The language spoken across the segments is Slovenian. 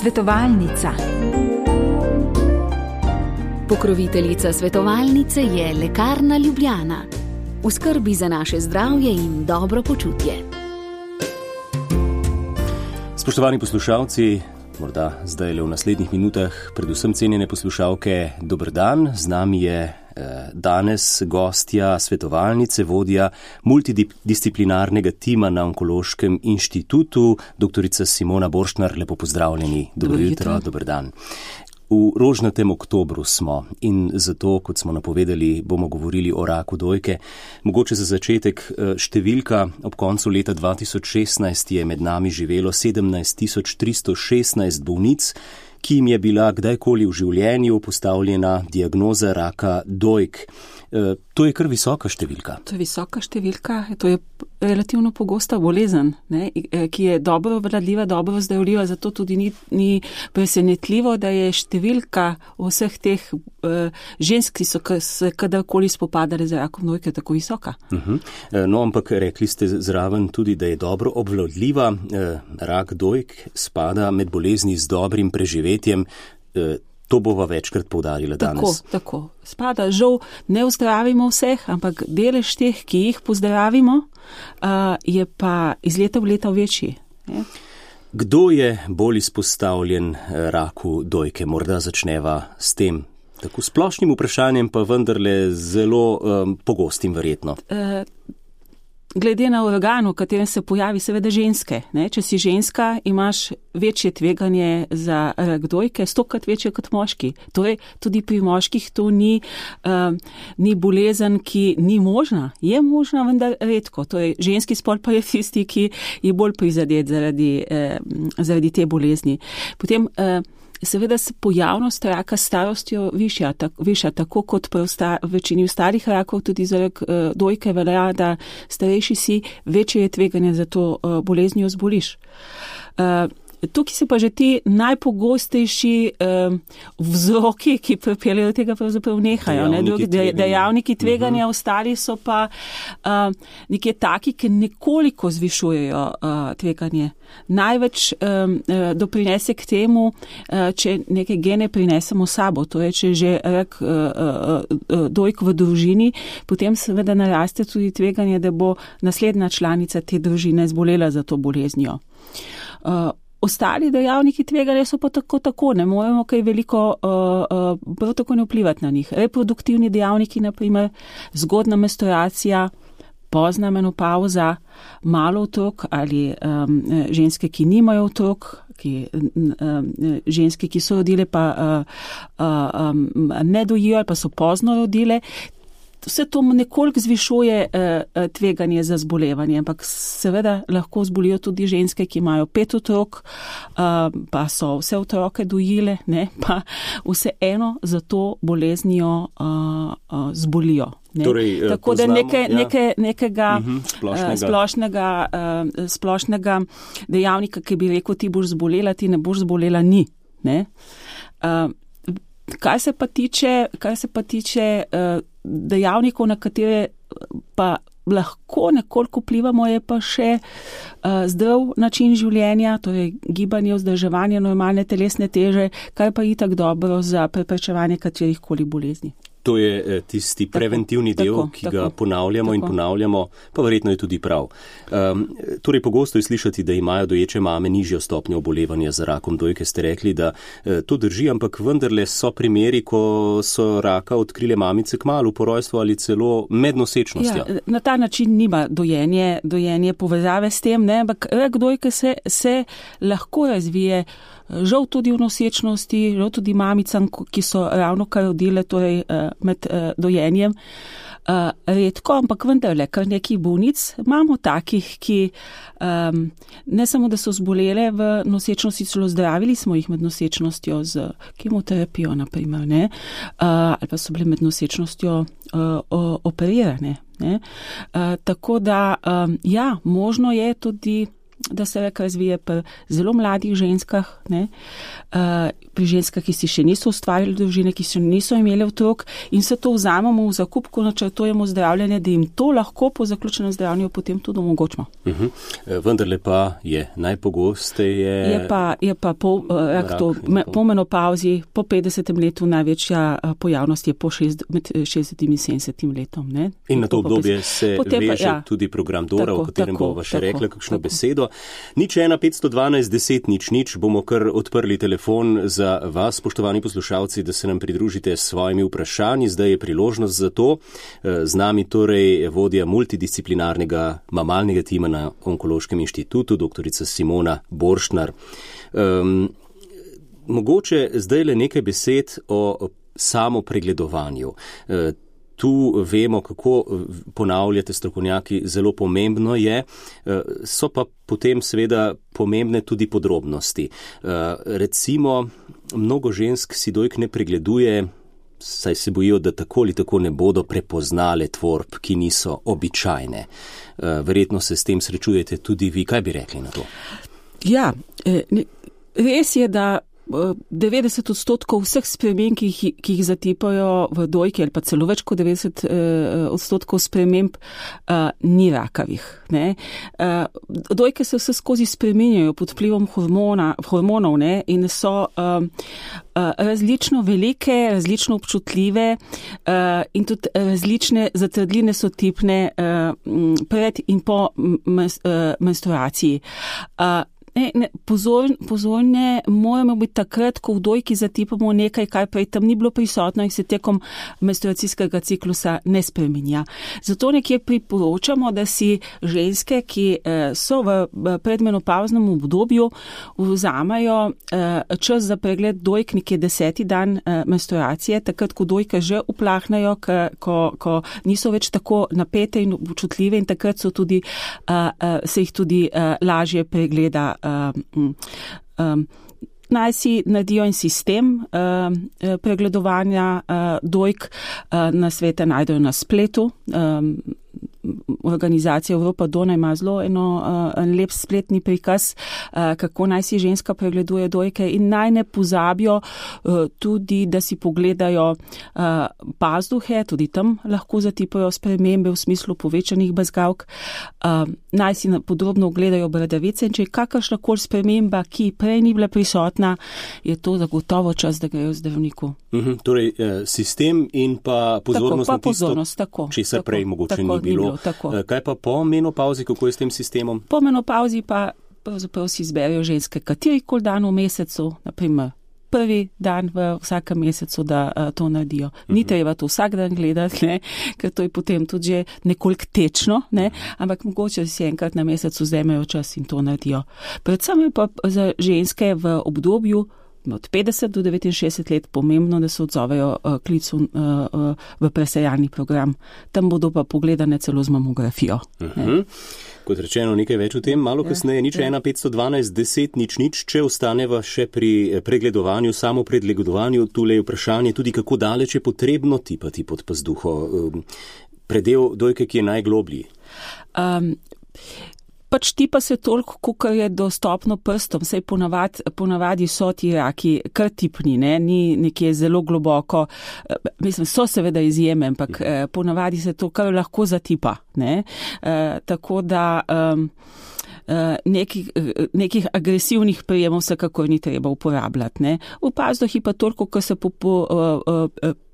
Svetovalnica. Pokroviteljica svetovalnice je Lekarna Ljubljana. V skrbi za naše zdravje in dobro počutje. Spoštovani poslušalci, morda zdaj le v naslednjih minutah, predvsem cenjene poslušalke, dober dan. Z nami je danes gostja svetovalnice, vodja multidisciplinarnega tima na Onkološkem inštitutu, doktorica Simona Borštnar. Lepo pozdravljeni. Dobro jutro, dober dan. V rožnatem oktobru smo in zato, kot smo napovedali, bomo govorili o raku dojke. Mogoče za začetek številka. Ob koncu leta 2016 je med nami živelo 17.316 bolnic, ki jim je bila kdajkoli v življenju postavljena diagnoza raka dojk. To je kar visoka številka. To je visoka številka, to je relativno pogosta bolezen, ne, ki je dobro obvladljiva, dobro zdravljiva, zato tudi ni presenetljivo, da je številka vseh teh žensk, ki so se kadarkoli spopadali z rakom dojke, tako visoka. No, ampak rekli ste zraven tudi, da je dobro obvladljiva. Rak dojk spada med bolezni z dobrim preživetjem. To bova večkrat poudarila danes. Tako. Spada, žal ne ozdravimo vseh, ampak delež teh, ki jih pozdravimo, je pa iz leta v leto večji. Je? Kdo je bolj izpostavljen raku dojke? Morda začneva s tem tako splošnim vprašanjem, pa vendarle zelo pogostim verjetno. Glede na organ, v katerem se pojavi, seveda ženske. Ne? Če si ženska, imaš večje tveganje za rak dojke, 100-krat večje kot moški. Torej, tudi pri moških to ni bolezen, ki ni možna. Je možna, vendar redko. Torej, ženski spol pa je tisti, ki je bolj prizadet zaradi te bolezni. Potem, seveda se pojavnost raka starostjo višja, tako kot pri večini ostalih rakov, tudi za rak dojke velja, da starejši si, večje je tveganje za to boleznijo zboliš. Tukaj se pa že ti najpogostejši vzroki, ki pripeljejo do tega, pravzaprav nehajo. Dejavniki tveganja, ostali so pa nekje taki, ki nekoliko zvišujejo tveganje. Največ doprinese k temu, če neke gene prinesemo sabo, to je, če že rak dojk v družini, potem seveda naraste tudi tveganje, da bo naslednja članica te družine zbolela za to boleznijo. Ostali dejavniki tveganja so pa tako, ne moremo kaj veliko prav tako ne vplivati na njih. Reproduktivni dejavniki, naprimer, zgodna menstruacija, pozna menopauza, malo otrok ali ženske, ki nimajo otrok, ženske, ki so rodile pa ne dojijo ali pa so pozno rodile. Vse to nekoliko zvišuje tveganje za zbolevanje, ampak seveda lahko zbolijo tudi ženske, ki imajo 5 otrok, pa so vse otroke dojile, ne, pa vseeno za to boleznijo zbolijo. Torej, tako da nekega splošnega dejavnika, ki bi rekel, ti boš zbolela, ti ne boš zbolela, ni. Ne? Kar se pa tiče dejavnikov, na katere pa lahko nekoliko vplivamo, je pa še zdrav način življenja, torej gibanje, vzdrževanje normalne telesne teže, kar pa itak dobro za preprečevanje katerihkoli bolezni. To je tisti preventivni del, ki ga ponavljamo in ponavljamo, pa verjetno je tudi prav. Torej, pogosto je slišati, da imajo doječe mame nižjo stopnjo obolevanja za rakom dojke. Ste rekli, da to drži, ampak vendarle so primeri, ko so raka odkrile mamice kmalu po rojstvu ali celo med nosečnostjo. Ja, na ta način nima dojenje povezave s tem, ne, ampak rak dojke se lahko razvije, žal tudi v nosečnosti, žal tudi mamicam, ki so ravno kar rodile, torej med dojenjem. Redko, ampak vendarle, kar nekaj bolnic imamo takih, ki ne samo, da so zbolele v nosečnosti, celo zdravili smo jih med nosečnostjo z kemoterapijo, naprimer, ne, ali pa so bile med nosečnostjo operirane. Ne. Tako da, ja, možno je tudi da se rak razvije pri zelo mladih ženskah, ne, pri ženskah, ki si še niso ustvarili družine, ki še niso imeli otrok in se to vzamemo v zakup, ko načrtujemo zdravljenje, da jim to lahko po zaključenem zdravljenju potem tudi omogočimo. Vendarle pa je najpogosteje... Je pa po menopauzi, po 50. letu največja pojavnost je med 60 in 70 letom. Ne? In na to obdobje se veže tudi program Dora, o katerem bova še rekla kakšno besedo. 01 512 10 00 bomo kar odprli telefon za vas, spoštovani poslušalci, da se nam pridružite s svojimi vprašanji. Zdaj je priložnost za to. Z nami torej vodja multidisciplinarnega mamalnega tima na Onkološkem inštitutu, doktorica Simona Borštnar. Mogoče zdaj le nekaj besed o samopregledovanju. Tu vemo, kako ponavljate strokovnjaki, zelo pomembno je, so pa potem seveda pomembne tudi podrobnosti. Recimo, mnogo žensk si dojk ne pregleduje, saj se bojijo, da tako ali tako ne bodo prepoznale tvorb, ki niso običajne. Verjetno se s tem srečujete tudi vi. Kaj bi rekli na to? Ja, res je, da 90% vseh sprememb, ki jih zatipajo v dojki, ali pa celo več kot 90% sprememb, ni rakavih. Ne? Dojke se vse skozi spreminjajo pod vplivom hormonov, ne? In so različno velike, različno občutljive in tudi različne zatrdline so tipne pred in po menstruaciji. Pozorne moramo biti takrat, ko v dojki zatipamo nekaj, kar prej tam ni bilo prisotno in se tekom menstruacijskega ciklusa ne spreminja. Zato nekje priporočamo, da si ženske, ki so v predmenopavznem obdobju, vzamajo čas za pregled dojk nekje 10. dan menstruacije, takrat, ko dojke že uplahnejo, ko niso več tako napete in občutljive in takrat so tudi, se jih tudi lažje pregleda. Naj si naredijo en sistem pregledovanja dojk, na svete najdejo na spletu. Organizacija Evropa Dona ima zelo en lep spletni prikaz, kako naj si ženska pregleduje dojke in naj ne pozabijo tudi, da si pogledajo pazduhe, tudi tam lahko zatipajo spremembe v smislu povečanih bezgavk. Naj si podrobno ogledajo bradavice in če je kakršnakoli sprememba, ki prej ni bila prisotna, je to zagotovo čas, da grejo zdravniku. Torej, sistem in pa pozornost na tisto, česar prej mogoče ni bilo. Kaj pa po menopauzi, kako je s tem sistemom? Po menopauzi pa pravzaprav si izberijo ženske katerikoli dan v mesecu, naprimer prvi dan v vsakem mesecu, da to naredijo. Ni treba to vsak dan gledati, ne, ker to je potem tudi že nekoliko tečno, ne, ampak mogoče si enkrat na mesecu vzamejo čas in to naredijo. Predvsem je pa za ženske v obdobju od 50 do 69 let pomembno, da se odzovejo klicu v presejalni program. Tam bodo pa pogledane celo z mamografijo. Kot rečeno, nekaj več o tem, malo kasneje, 01 512 10 00, če ostaneva še pri pregledovanju, samo pregledovanju, tule je vprašanje tudi, kako daleč je potrebno tipati pod pazduho. Predel dojke, ki je najgloblji. Pač tipa se toliko, kolikor je dostopno prstom, saj ponavadi so ti raki kar tipni, ne? Ni nekje zelo globoko, mislim, so seveda izjeme, ampak ponavadi se to kar lahko zatipa, ne? Tako da nekih agresivnih prijemov vsekakor ni treba uporabljati, ne? V pazduhi pa toliko, ko se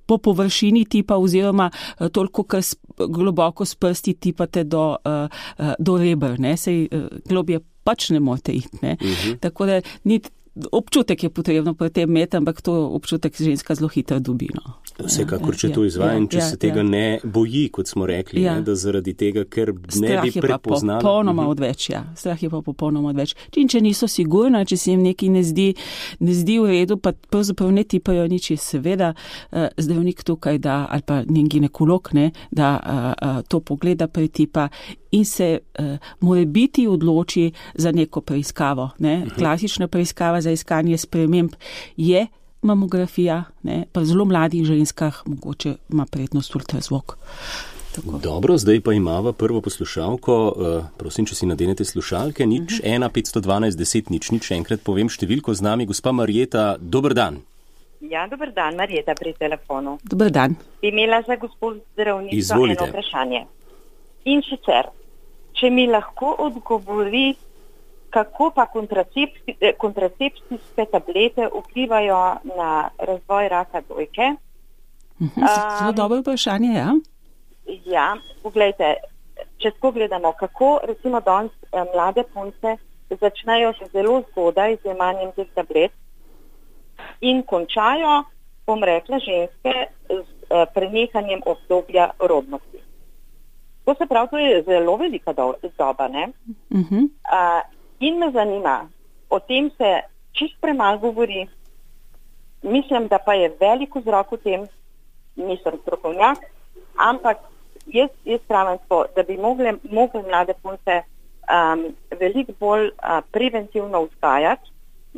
po površini tipa oziroma toliko, kar globoko s prsti tipate do reber, ne, sej globje pač ne morete iti, ne. Tako da občutek je potrebno pri tem imeti, ampak to občutek ženska zelo hitro dobi, no. Vsekakor, če to izvaja in če se tega ne boji, kot smo rekli, ne, da zaradi tega, ker ne bi prepoznala. Strah je pa popolnoma odveč. Če niso sigurni, če se jim nekaj ne zdi v redu, pa pravzaprav ne tipajo nič, seveda zdravnik tukaj da, ali pa njen ginekolog, ne, da to pogleda, pretipa in se morebiti odloči za neko preiskavo, ne. Klasična preiskava za iskanje sprememb je mamografija, ne, pa v zelo mladih ženskah mogoče ima prednost ultrazvok. Tako. Dobro, zdaj pa imava prvo poslušalko. Prosim, če si nadenete slušalke. 1-512-10-0. Še enkrat povem številko z nami. Gospa Marjeta, dober dan. Ja, dober dan, Marjeta pri telefonu. Dober dan. Bi imela za gospod zdravnico Izvolite. eno vprašanje. In sicer, če mi lahko odgovori, kako pa kontracepcijske tablete vplivajo na razvoj raka dojke. Zelo dobro vprašanje, ja. Ja, poglejte, če tako gledamo, kako recimo danes mlade punce začnejo še zelo zgodaj z jemanjem teh tablet in končajo, bom rekla, ženske z prenehanjem obdobja rodnosti. To se pravi, to je zelo velika doba, ne? In me zanima, o tem se čist premalo govori, mislim, da pa je velik vzrok v tem, nisem strokovnjak, ampak jaz pravim to, da bi mogli mlade punce veliko bolj preventivno vzgajati,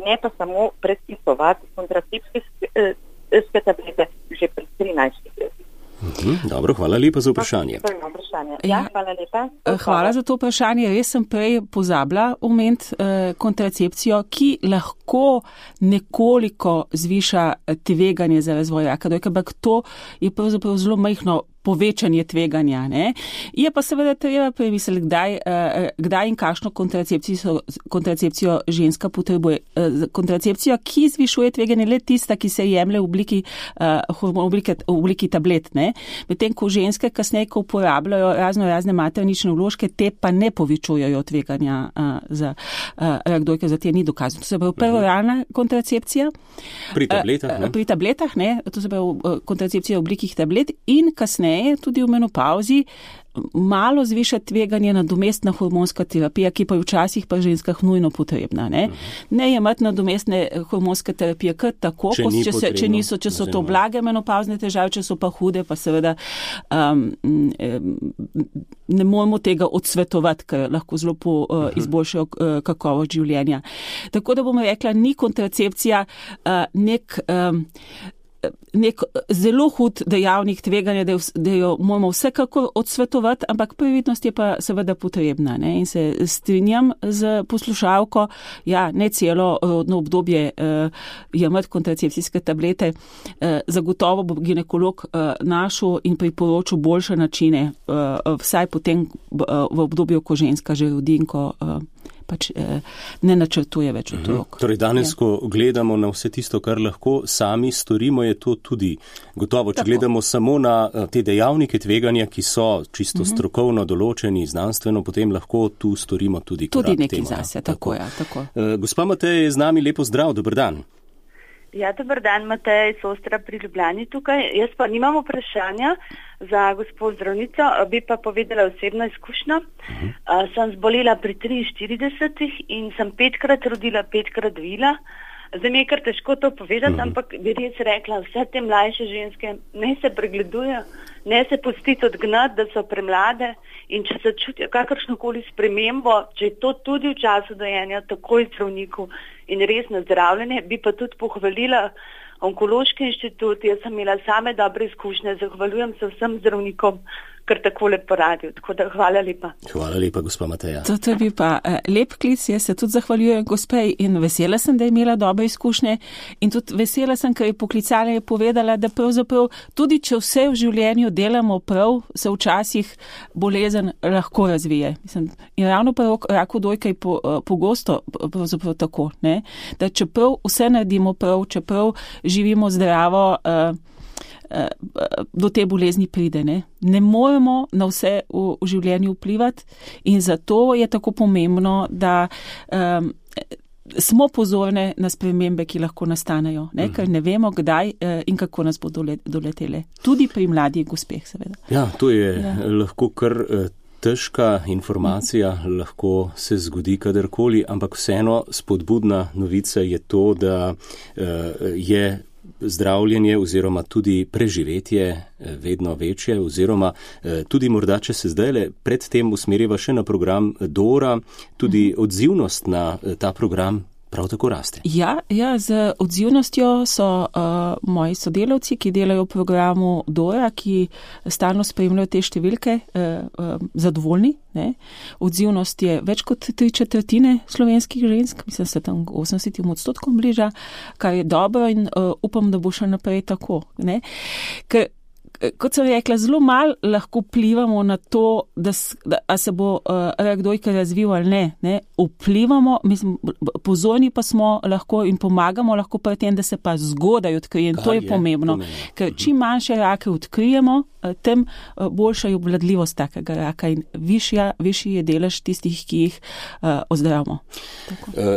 ne pa samo predpisovati kontracepcijske tablete že pred 13 leti. Dobro, hvala lepa za vprašanje. Ja, hvala lepa. Hvala za to vprašanje. Res sem prej pozabila omeniti kontracepcijo, ki lahko nekoliko zviša tveganje za razvoj raka dojke, ampak to je pravzaprav zelo majhno povečanje tveganja. Ne? Je pa seveda treba premisliti, kdaj in kakšno kontracepcijo ženska potrebuje. Kontracepcijo, ki zvišuje tveganje, le tista, ki se jemlje v obliki tablet. Ne? Medtem ko ženske kasneje, ko uporabljajo razne maternične vložke, te pa ne povečujejo tveganja za rak dojke, za te ni dokazano. To se pravi peroralna kontracepcija. Pri tabletah, ne? Pri tabletah, ne. To se pravi kontracepcija v oblikih tablet in kasneje tudi v menopauzi malo zviša tveganje nadomestna hormonska terapija, ki pa je včasih pa ženskah nujno potrebna. Ne jemati nadomestne hormonske terapije kar tako, če so to blage menopauzne težave, če so pa hude, pa seveda ne moramo tega odsvetovati, ker lahko zelo izboljšajo kakovost življenja. Tako da bom rekla, ni kontracepcija nek zelo hud dejavnik tveganja, da jo moramo vsekakor odsvetovati, ampak previdnost je pa seveda potrebna. Ne? In se strinjam z poslušalko, ja, ne celo rodno obdobje jemati kontracepcijske tablete. Zagotovo bo ginekolog našel in priporočil boljše načine, vsaj potem v obdobju, ko ženska že rodi in ko ne načrtuje več otrok. Torej danes, ko gledamo na vse tisto, kar lahko sami storimo, je to tudi gotovo. Če gledamo samo na te dejavnike tveganja, ki so čisto strokovno določeni, znanstveno, potem lahko tu storimo tudi korak tudi nekaj temu. Zase, tako. Gospa Mateja je z nami, lepo zdrav, dober dan. Ja, dober dan, Mateja iz Ostra pri Ljubljani tukaj. Jaz pa nimam vprašanja za gospod zdravnico, bi pa povedala osebno izkušnjo. Sem zbolela pri 43 in sem 5-krat rodila, 5-krat dojila. Zdaj mi je kar težko to povedati, ampak bi res rekla, vse te mlajše ženske ne se pregledujejo, ne se pustiti odgnati, da so premlade in če se čutijo kakršnokoli spremembo, če je to tudi v času dojenja, takoj zdravniku in res na zdravljenje, bi pa tudi pohvalila Onkološki inštitut. Jaz sem imela same dobre izkušnje, zahvaljujem se vsem zdravnikom, kar takole poradijo. Tako da hvala lepa. Hvala lepa, gospa Mateja. To je bil pa lep klic, jaz se tudi zahvaljujem gospej in vesela sem, da je imela dobre izkušnje in tudi vesela sem, ker je poklicala in je povedala, da pravzaprav tudi če vse v življenju delamo prav, se včasih bolezen lahko razvije. Mislim, in ravno pa raku dojke je pogosto pravzaprav tako, ne? Da čeprav vse naredimo prav, čeprav živimo zdravo, do te bolezni pride. Ne moremo na vse v življenju vplivati in zato je tako pomembno, da smo pozorne na spremembe, ki lahko nastanejo, ker ne vemo, kdaj in kako nas bodo doletele. Tudi pri mladih gospeh, seveda. Ja, to je lahko kar težka informacija, lahko se zgodi kadarkoli, ampak vseeno spodbudna novica je to, da je zdravljenje oziroma tudi preživetje vedno večje oziroma tudi morda, če se zdajle predtem usmerjava še na program Dora, tudi odzivnost na ta program prav tako raste. Ja, z odzivnostjo so moji sodelavci, ki delajo v programu DORA, ki stalno spremljajo te številke, zadovoljni. Ne? Odzivnost je več kot 3/4 slovenskih žensk, mislim, se tam 80% bliža, kar je dobro in upam, da bo še naprej tako. Ne? Ker, kot sem rekla, zelo malo lahko vplivamo na to, da se bo rak dojke razvil ali ne. Vplivamo, mislim, pozorni pa smo lahko in pomagamo lahko pri tem, da se pa zgodaj odkrije. In to je pomembno. Ker čim manjše rake odkrijemo, tem boljša je obvladljivost takega raka in višji je delež tistih, ki jih ozdravimo.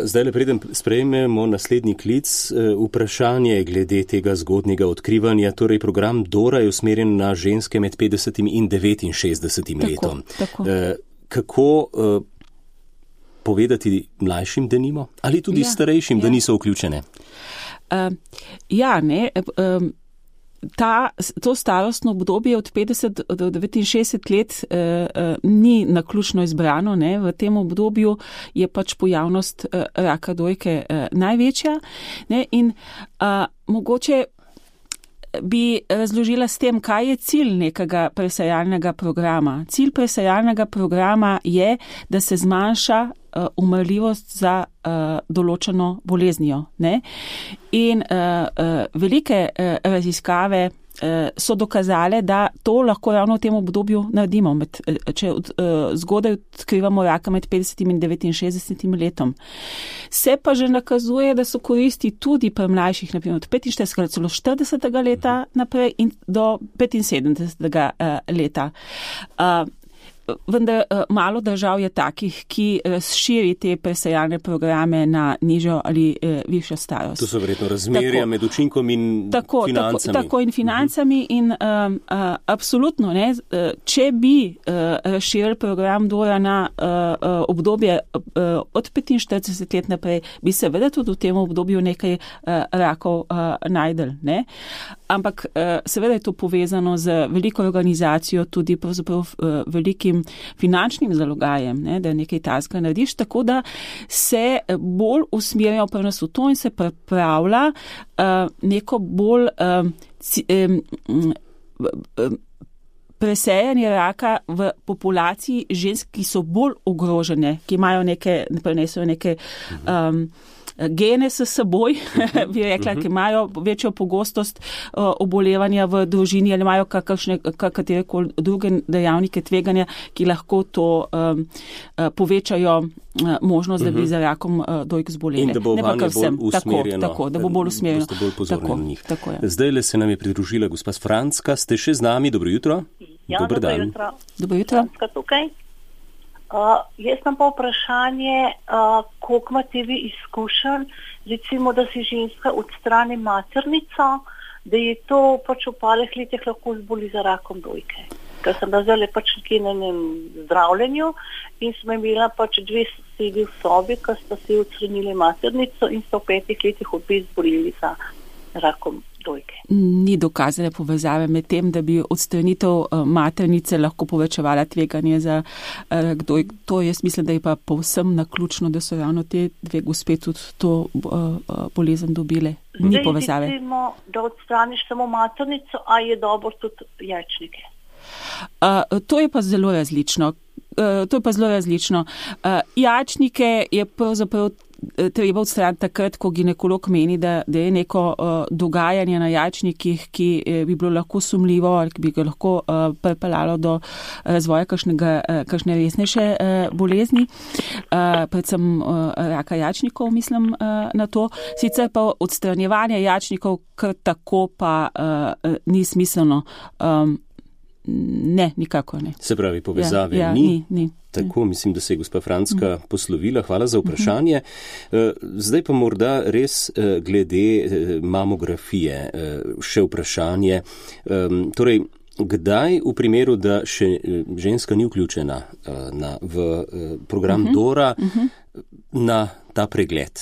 Zdaj, preden sprejmemo naslednji klic, vprašanje glede tega zgodnjega odkrivanja. Torej, program DORA je usmerjen na ženske med 50 in 69 letom. Tako. Kako povedati mlajšim, da nimo? Ali tudi starejšim, da niso vključene? To starostno obdobje od 50 do 69 let ni naključno izbrano. Ne? V tem obdobju je pač pojavnost raka dojke največja. Ne? In mogoče bi razložila s tem, kaj je cilj nekega presajalnega programa. Cilj presajalnega programa je, da se zmanjša umrljivost za določeno boleznijo. Ne? In velike raziskave so dokazale, da to lahko ravno v tem obdobju naredimo, če zgodaj odkrivamo raka med 50 in 69 letom. Se pa že nakazuje, da so koristi tudi pri mlajših, naprimer od 45 celo 40 leta naprej in do 75 leta. Vendar malo držav je takih, ki razširi te presajalne programe na nižjo ali višjo starost. To so verjetno razmerja med učinkom in financami. Tako in financami in absolutno, ne, če bi razširili program DORA na obdobje od 45 let naprej, bi seveda tudi v tem obdobju nekaj rakov najdel. Ne? Ampak seveda je to povezano z veliko organizacijo, tudi pravzaprav velikim finančnim zalogajem, ne, da nekaj tazga narediš, tako da se bolj usmerjajo pri nas v to in se pripravlja neko bolj presejanje raka v populaciji žensk, ki so bolj ogrožene, ki imajo prenesejo neke gene s seboj, bi rekla, ki imajo večjo pogostost obolevanja v družini ali imajo katerekoli druge dejavnike tveganja, ki lahko to povečajo možnost, da bi za rakom dojk zboleli. In da bo vanje bolj usmerjeno. Tako, da bo bolj usmerjeno. Boste bolj pozorni na njih. Zdaj se nam je pridružila gospa Franska. Ste še z nami? Dobro jutro. Ja, Dobar dan. Dobro jutro. Franska tukaj. Jaz imam pa vprašanje, koliko imate vi izkušenj, recimo, da si ženska odstrani maternico, da je to pač v parih letih lahko zboli za rakom dojke. Ker sem da zdaj pač nekje na enem zdravljenju in smo imela pač 2 sosedi v sobi, ki sta si odstranili maternico in so v 5 letih obe zboleli za rakom dojke. Ni dokazane povezave med tem, da bi odstranitev maternice lahko povečevala tveganje za rak dojk. To jaz mislim, da je pa povsem naključno, da so ravno te dve gospe tudi to bolezen dobile. Ni povezave. Zdaj recimo, da odstraniš samo maternico, a je dobro tudi jajčnike? To je pa zelo različno. Jajčnike je pravzaprav treba odstraniti takrat, ko ginekolog meni, da je neko dogajanje na jajčnikih, ki bi bilo lahko sumljivo ali bi ga lahko pripeljalo do razvoja kakšne resnejše bolezni, predvsem raka jajčnikov, mislim na to. Sicer pa odstranjevanje jajčnikov kar tako pa ni smiselno. Ne, nikako ne. Se pravi, povezave ni. Tako, mislim, da se je gospa Franska poslovila. Hvala za vprašanje. Zdaj pa morda res glede mamografije še vprašanje. Torej, kdaj v primeru, da še ženska ni vključena v program DORA na ta pregled?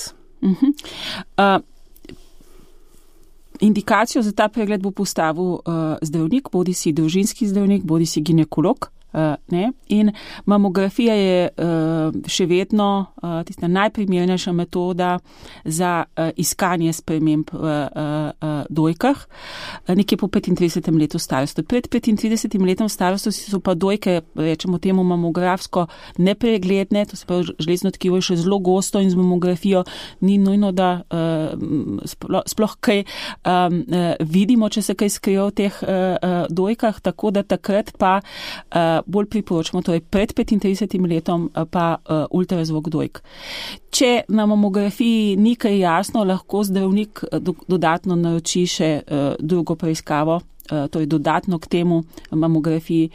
Indikacijo za ta pregled bo postavil zdravnik, bodi si družinski zdravnik, bodi si ginekolog. In mamografija je še vedno tista najprimernejša metoda za iskanje sprememb v dojkah, nekje po 35. letu starosti. Pred 35. letom starosti so pa dojke, rečemo temu mamografsko, nepregledne, to se pravi, železno tkivo je še zelo gosto in z mamografijo ni nujno, da sploh kaj vidimo, če se kaj skrije v teh dojkah, tako da takrat pa bolj priporočamo, torej pred 35. letom pa ultrazvok dojk. Če na mamografiji ni kaj jasno, lahko zdravnik dodatno naroči še drugo preiskavo, torej dodatno k temu mamografiji,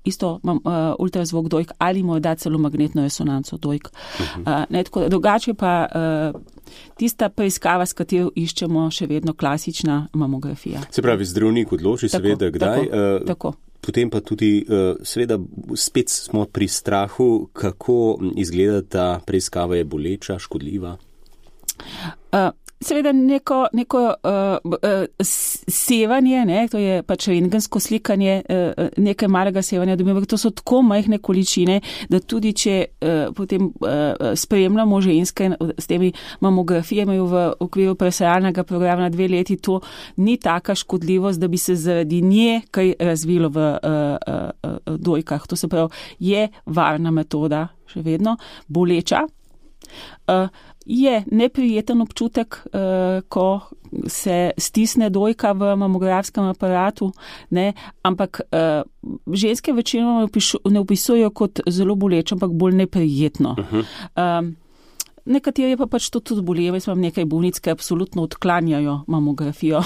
isto ultrazvok dojk ali morda celo magnetno resonanco dojk. Drugače pa tista preiskava, s katero iščemo še vedno klasična mamografija. Se pravi, zdravnik odloči seveda kdaj. Tako. Potem pa tudi, seveda, spet smo pri strahu, kako izgleda ta preiskava, je boleča, škodljiva? Seveda neko sevanje, to je pač rentgensko slikanje, nekaj malega sevanja dobimo, to so tako majhne količine, da tudi če potem spremljamo ženske s temi mamografijami v okviru presajalnega programa na 2 leti, to ni taka škodljivost, da bi se zaradi nje kaj razvilo v dojkah. To se pravi, je varna metoda, še vedno boleča. Je neprijeten občutek, ko se stisne dojka v mamografskem aparatu, ampak ženske večinoma ne opisujejo kot zelo boleče, ampak bolj neprijetno. Nekateri pa pač to tudi bolijo. Jaz imam nekaj bolnic, ki absolutno odklanjajo mamografijo,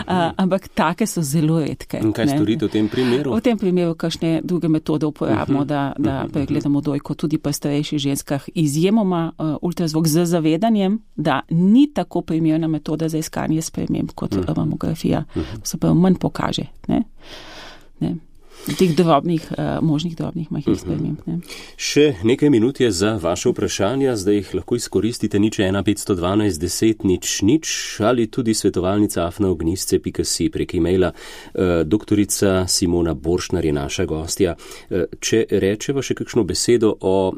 ampak take so zelo redke. In kaj storite v tem primeru? V tem primeru kakšne druge metode uporabimo, da pregledamo dojko tudi pri starejših ženskah. Izjemoma ultrazvok z zavedanjem, da ni tako primerna metoda za iskanje sprememb kot mamografija. Se pa manj pokaže. Ne? Teh možnih drobnih majhnih sprememb. Še nekaj minut je za vaše vprašanja, zdaj jih lahko izkoristite 01 512 10 00 ali tudi svetovalnica@ognisce.si prek e-maila. Doktorica Simona Borštnar je naša gostja. Če rečeva še kakšno besedo o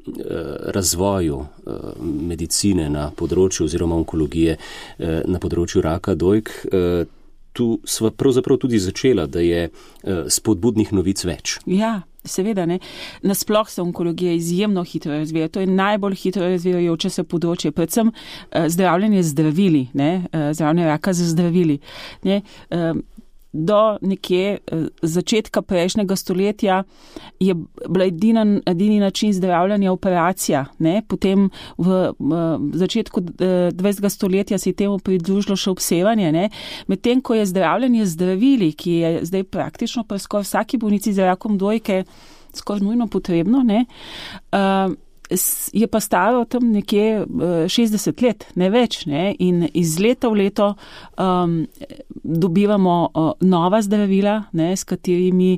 razvoju medicine na področju oziroma onkologije na področju raka dojk, tu sva pravzaprav tudi začela, da je spodbudnih novic več. Ja, seveda ne. Nasploh se onkologija izjemno hitro razvija. To je najbolj hitro razvijajoče se področje, predvsem zdravljenje z zdravili, zdravljenje raka z zdravili. Do nekje začetka prejšnjega stoletja je bila edini način zdravljanja operacija. Potem v začetku 20. stoletja se je temu pridružilo še obsevanje. Medtem ko je zdravljanje zdravili, ki je zdaj praktično pri skoraj vsaki bolnici z rakom dojke skoraj nujno potrebno, je pa staro tam nekje 60 let, ne več. In iz leta v leto dobivamo nova zdravila, s katerimi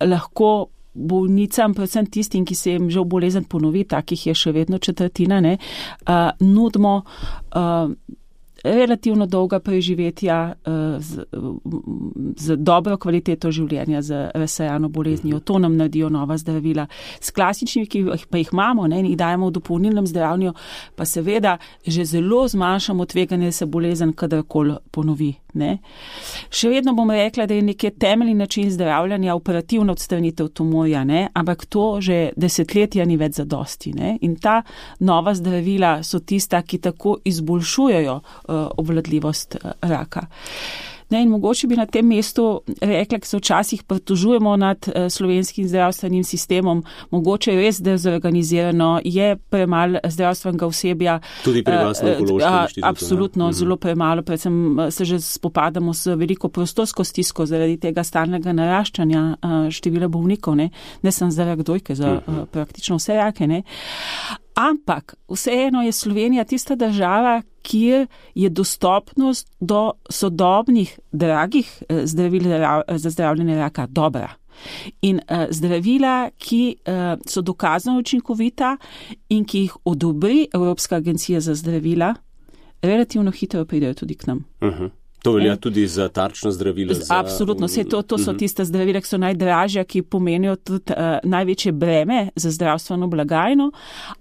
lahko bolnicam, predvsem tistim, ki se jim že bolezen ponovi, takih je še vedno četrtina, nudimo relativno dolga preživetja z dobro kvaliteto življenja, z razsejano boleznijo. To nam naredijo nova zdravila. S klasičnimi, ki pa jih imamo, in jih dajemo v dopolnilnem zdravljenju, pa seveda že zelo zmanjšamo tveganje, da se bolezen kadarkoli ponovi. Še vedno bom rekla, da je nekje temeljni način zdravljanja operativna odstranitev tumorja, ampak to že desetletja ni več zadosti. In ta nova zdravila so tista, ki tako izboljšujejo obvladljivost raka. In mogoče bi na tem mestu rekla, ker se včasih pritožujemo nad slovenskim zdravstvenim sistemom, mogoče res dezorganizirano, je premalo zdravstvenega osebja. Tudi pri vas na Onkološkem inštitutu. Absolutno, zelo premalo, predvsem se že spopadamo s veliko prostorsko stisko zaradi tega stalnega naraščanja števila bolnikov, ne samo za rak dojke, za praktično vse rake. Ampak vseeno je Slovenija tista država, kjer je dostopnost do sodobnih, dragih zdravil za zdravljenje raka dobra. In zdravila, ki so dokazano učinkovita in ki jih odobri Evropska agencija za zdravila, relativno hitro pridejo tudi k nam. To velja tudi za tarčno zdravilo? Absolutno, to so tiste zdravila, ki so najdražja, ki pomenijo tudi največje breme za zdravstveno blagajno,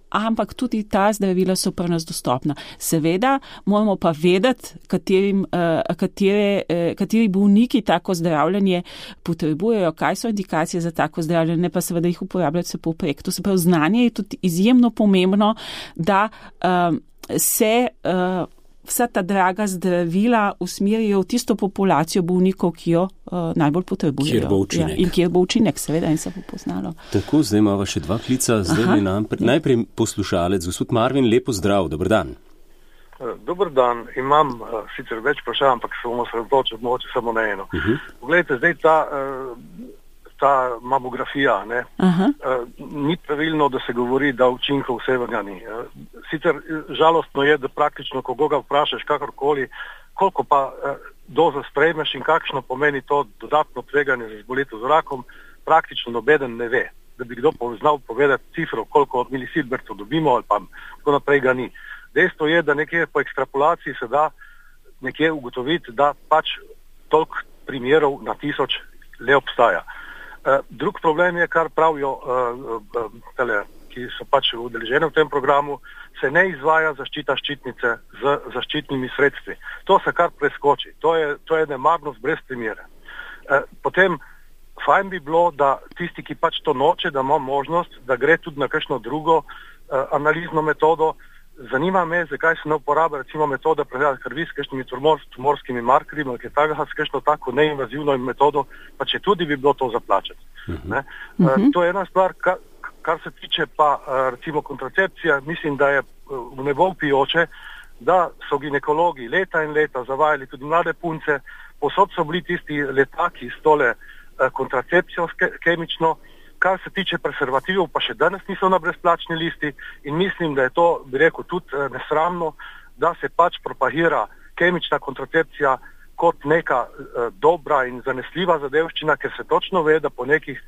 ampak tudi ta zdravila so pri nas dostopna. Seveda moramo pa vedeti, kateri bolniki tako zdravljenje potrebujejo, kaj so indikacije za tako zdravljenje, pa seveda jih uporabljati se povprek. To se pravi, znanje je tudi izjemno pomembno, da se vsa ta draga zdravila usmerijo v tisto populacijo bolnikov, ki jo najbolj potrebujejo. Kjer bo učinek. Ja, in kjer bo učinek, seveda, in se bo poznalo. Tako, zdaj imamo še 2 klica. Zdaj najprej poslušalec. Gospod Marvin, lepo zdrav, dober dan. Dober dan. Imam sicer več vprašanj, ampak se bomo sredotočili mogoče samo na eno. Poglejte, zdaj ta mamografija, ne? Ni pravilno, da se govori, da učinkov vsega ni. Sicer žalostno je, da praktično, ko ga vprašaš kakorkoli, koliko pa doza sprejmeš in kakšno pomeni to dodatno tveganje za zbolitev z rakom, praktično nobeden ne ve. Da bi kdo znal povedati cifro, koliko milisilbertov dobimo ali pa tako naprej ga ni. Dejstvo je, da nekje po ekstrapolaciji se da nekje ugotoviti, da pač toliko primerov na 1000 le obstaja. Drug problem je, kar pravijo ki so pač udeleženi v tem programu, se ne izvaja zaščita ščitnice z zaščitnimi sredstvi. To se kar preskoči. To je nemarnost brez primere. Potem fajn bi bilo, da tisti, ki pač to noče, da ima možnost, da gre tudi na kakšno drugo analizno metodo. Zanima me, zakaj se ne uporablja recimo metoda pregleda krvi s kakšnimi tumorskimi markerji, ali kaj takega, s kakšno tako neinvazivno metodo, pa če tudi bi bilo to zaplačati. To je ena stvar, kar se tiče pa recimo kontracepcija, mislim, da je v nebo vpijoče, da so ginekologi leta in leta zavajali tudi mlade punce, posod so bili tisti letaki s tole kontracepcijo kemično. Kar se tiče preservativov, pa še danes niso na brezplačni listi in mislim, da je to, bi rekel, tudi nesramno, da se pač propagira kemična kontracepcija kot neka dobra in zanesljiva zadevščina, ker se točno ve, da po nekih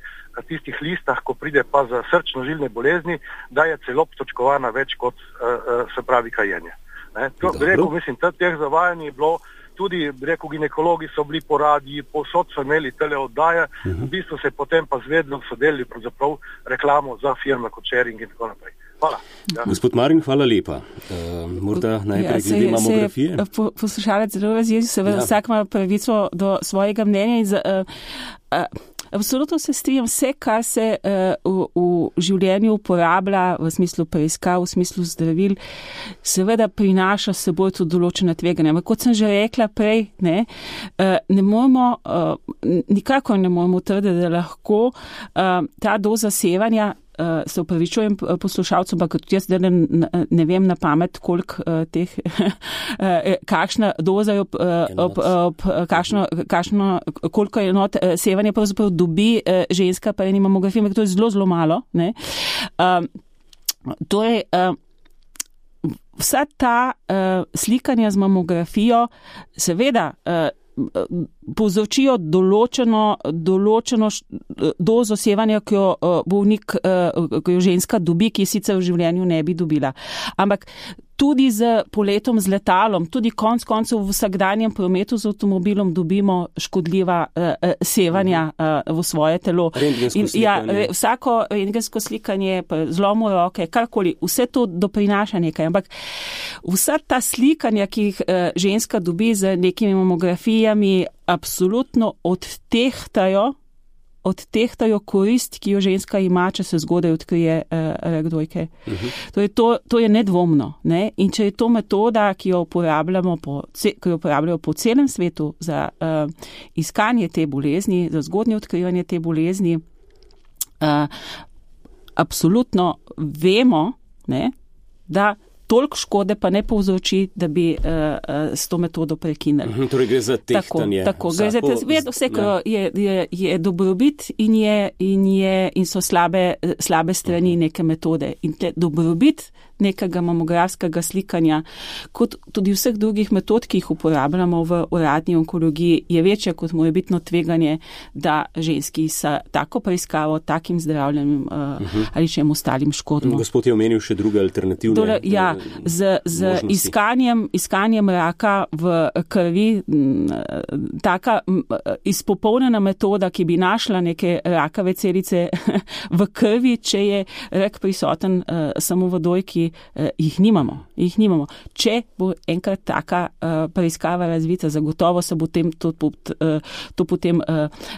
tistih listah, ko pride pa za srčno-žilne bolezni, da je celo točkovana več kot se pravi kajenje. To, bi rekel, mislim, teh zavajanj je bilo. Tudi, bi rekel, ginekologi so bili po radiji, povsod so imeli tele oddaje, v bistvu se potem pa zvedno so delili pravzaprav reklamo za firme kot Sharing in tako naprej. Hvala. Ja. Gospod Marin, hvala lepa. Morda najprej glede mamografije. Poslušalec zelo razjezi, seveda vsak ima pravico do svojega mnenja in absolutno se strinjam, vse, kar se v življenju uporablja v smislu preiskav, v smislu zdravil, seveda prinaša s seboj tudi določena tveganja. Ampak kot sem že rekla prej, ne moramo, nikakor ne moramo trditi, da lahko ta doza sevanja, se upravičujem poslušalcem, ampak tudi jaz ne vem na pamet, koliko teh, kakšna doza je koliko enot sevanja pravzaprav dobi ženska pa eni mamografiji, ampak to je zelo, zelo malo. Torej, vsa ta slikanja z mamografijo seveda povzročijo določeno dozo sevanja, ki jo bolnik, ki jo ženska dobi, ki sicer v življenju ne bi dobila. Ampak tudi z poletom z letalom, tudi konec koncev v vsakdanjem prometu z avtomobilom dobimo škodljiva sevanja v svoje telo. Vsako rentgensko slikanje, zlomu roke, karkoli, vse to doprinaša nekaj. Ampak vsa ta slikanja, ki jih ženska dobi z nekimi mamografijami, absolutno odtehtajo korist, ki jo ženska ima, če se zgodaj odkrije rak dojke. To je nedvomno. Ne? In če je to metoda, ki jo uporabljajo po celem svetu za iskanje te bolezni, za zgodnje odkrivanje te bolezni, absolutno vemo, da toliko škode pa ne povzroči, da bi s to metodo prekinili. Torej gre za tehtanje. Tako, gre za vse, kar je dobrobit in so slabe strani neke metode. In dobrobit nekega mamografskega slikanja, kot tudi vseh drugih metod, ki jih uporabljamo v uradni onkologiji, je večja kot morebitno tveganje, da ženski s tako preiskavo, takim zdravljenjem ali čem ostalim škodimo. Gospod je omenil še druge alternativne z iskanjem raka v krvi, taka izpopolnjena metoda, ki bi našla neke rakave celice v krvi, če je rak prisoten samo v dojki, jih nimamo. Če bo enkrat taka preiskava razvita, zagotovo se bo to potem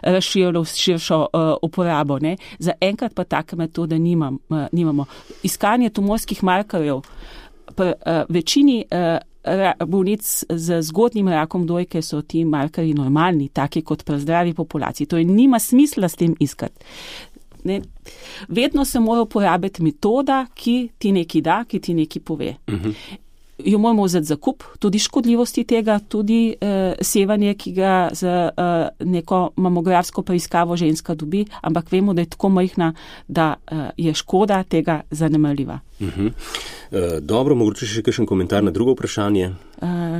razširilo v širšo uporabo. Ne? Za enkrat pa take metode nimamo. Iskanje tumorskih markerjev pri večini bolnic z zgodnjim rakom dojke so ti markerji normalni, taki kot pri zdravi populaciji. To je nima smisla s tem iskati. Ne? Vedno se mora uporabiti metoda, ki ti nekaj da, ki ti nekaj pove. Jo moramo vzeti za kup, tudi škodljivosti tega, tudi sevanje, ki ga z neko mamografsko preiskavo ženska dobi, ampak vemo, da je tako majhna, da je škoda tega zanemarljiva. Dobro, mogoče še kakšen komentar na drugo vprašanje.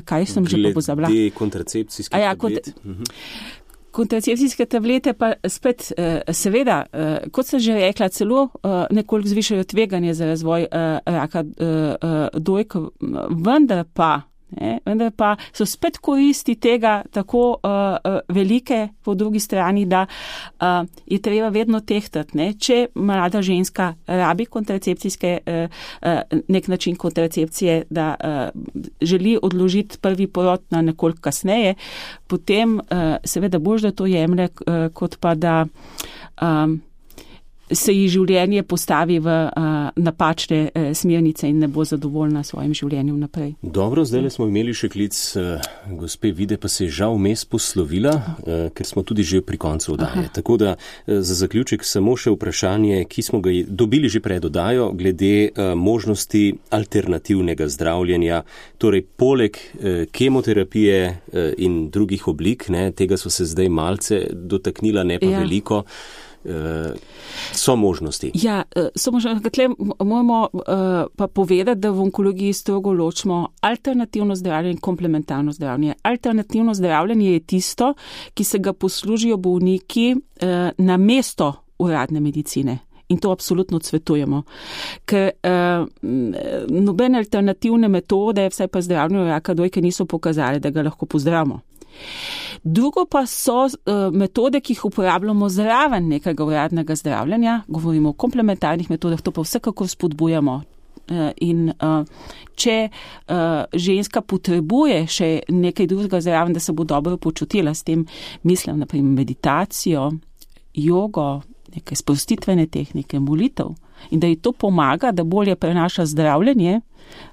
Kaj sem že pozabila? Glede kontracepcijskih tablet. Kontracepcijske tablete pa spet, seveda, kot sem že rekla, celo nekoliko zvišajo tveganje za razvoj raka dojk, vendar pa so spet koristi tega tako velike po drugi strani, da je treba vedno tehtati. Ne? Če mlada ženska rabi kontracepcijske, nek način kontracepcije, da želi odložiti prvi porod na nekoliko kasneje, potem seveda boš, da to jemlje, kot pa da se ji življenje postavi v napačne smernice in ne bo zadovoljna s svojim življenjem naprej. Dobro, zdaj smo imeli še klic gospe Vide, pa se je žal vmes poslovila, ker smo tudi že pri koncu oddaje. Tako da za zaključek samo še vprašanje, ki smo ga dobili že pred oddajo, glede možnosti alternativnega zdravljenja, torej poleg kemoterapije in drugih oblik, ne, tega so se zdaj malce dotaknila, ne pa veliko. So možnosti. Ja, so možnosti. Tle moramo pa povedati, da v onkologiji strogo ločimo alternativno zdravljenje in komplementarno zdravljenje. Alternativno zdravljenje je tisto, ki se ga poslužijo bolniki na mesto uradne medicine. In to absolutno odsvetujemo. Ker nobene alternativne metode, vsaj pa zdravljenje raka dojke, niso pokazali, da ga lahko pozdravimo. Drugo pa so metode, ki jih uporabljamo zraven nekega uradnega zdravljenja, govorimo o komplementarnih metodah, to pa vsekakor spodbujamo. In če ženska potrebuje še nekaj drugega zraven, da se bo dobro počutila, s tem mislim naprimer meditacijo, jogo, neke sprostitvene tehnike, molitev, in da ji to pomaga, da bolje prenaša zdravljenje,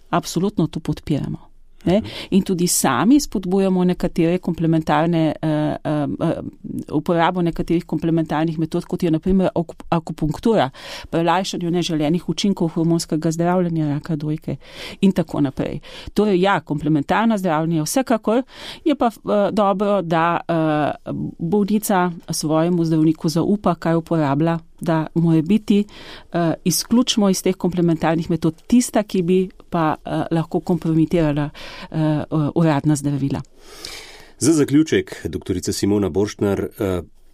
absolutno to podpiramo. Ne? In tudi sami spodbujamo nekatere komplementarne, uporabo nekaterih komplementarnih metod, kot je na primer akupunktura, pri lajšanju neželenih učinkov hormonskega zdravljenja raka dojke in tako naprej. Torej ja, komplementarno zdravljenje vsekakor, je pa dobro, da bolnica svojemu zdravniku zaupa, kaj uporablja, da mora biti izključno iz teh komplementarnih metod tista, ki bi pa lahko kompromitirala uradna zdravila. Za zaključek, doktorica Simona Borštner,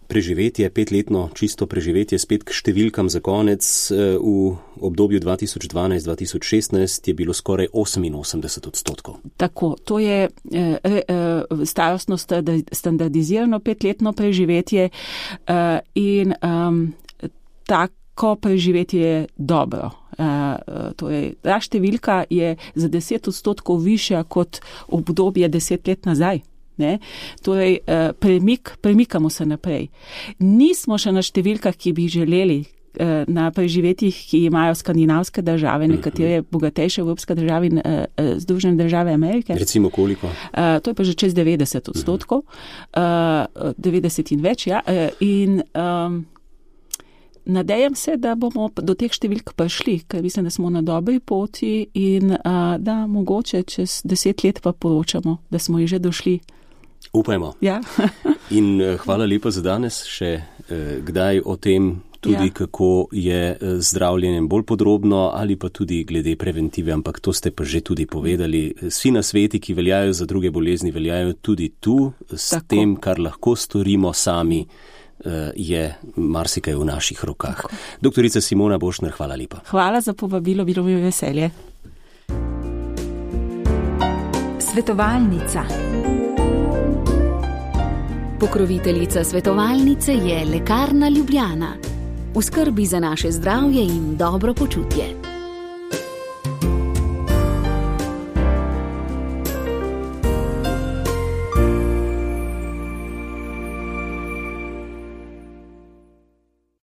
preživetje, 5-letno čisto preživetje, spet k številkam za konec, v obdobju 2012-2016 je bilo skoraj 88%. Tako, to je starostno standardizirano 5-letno preživetje in tako preživetje je dobro. Torej, ta številka je za 10% višja kot obdobje 10 let nazaj. Ne? Torej, premikamo se naprej. Nismo še na številkah, ki bi želeli, na preživetjih, ki imajo skandinavske države, nekatere bogatejše evropske države in Združene države Amerike. Recimo koliko? To je pa že čez 90%, 90 in več, ja. In nadejam se, da bomo do teh številk prišli, ker mislim, da smo na dobri poti in da mogoče čez 10 let pa poročamo, da smo jih že došli. Upajmo. Ja. In hvala lepa za danes. Še kdaj o tem tudi, kako je zdravljenjem bolj podrobno ali pa tudi glede preventive, ampak to ste pa že tudi povedali. Vsi nasveti, ki veljajo za druge bolezni, veljajo tudi tu. S Tako. Tem, kar lahko storimo sami, je marsikaj v naših rokah. Tako. Doktorica Simona Bošner, hvala lepa. Hvala za povabilo, bilo mi veselje. Svetovalnica. Pokroviteljica svetovalnice je Lekarna Ljubljana. V skrbi za naše zdravje in dobro počutje.